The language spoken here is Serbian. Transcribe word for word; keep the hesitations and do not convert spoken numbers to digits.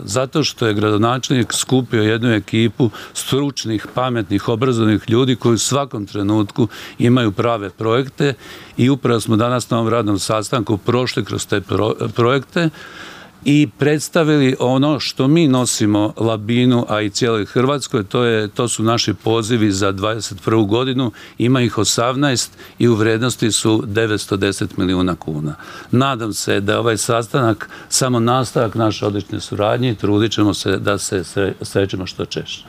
Zato što je gradonačelnik skupio jednu ekipu stručnih, pametnih, obrazovnih ljudi koji u svakom trenutku imaju prave projekte i upravo smo danas na ovom radnom sastanku prošli kroz te projekte i predstavili ono što mi nosimo Labinu, a i cijeloj Hrvatskoj, to, je, to su naši pozivi za dvadeset prvu godinu, ima ih osamnaest i u vrednosti su devetsto deset milijuna kuna. Nadam se da je ovaj sastanak samo nastavak naše odlične suradnje i trudit ćemo se da se srećemo što češće.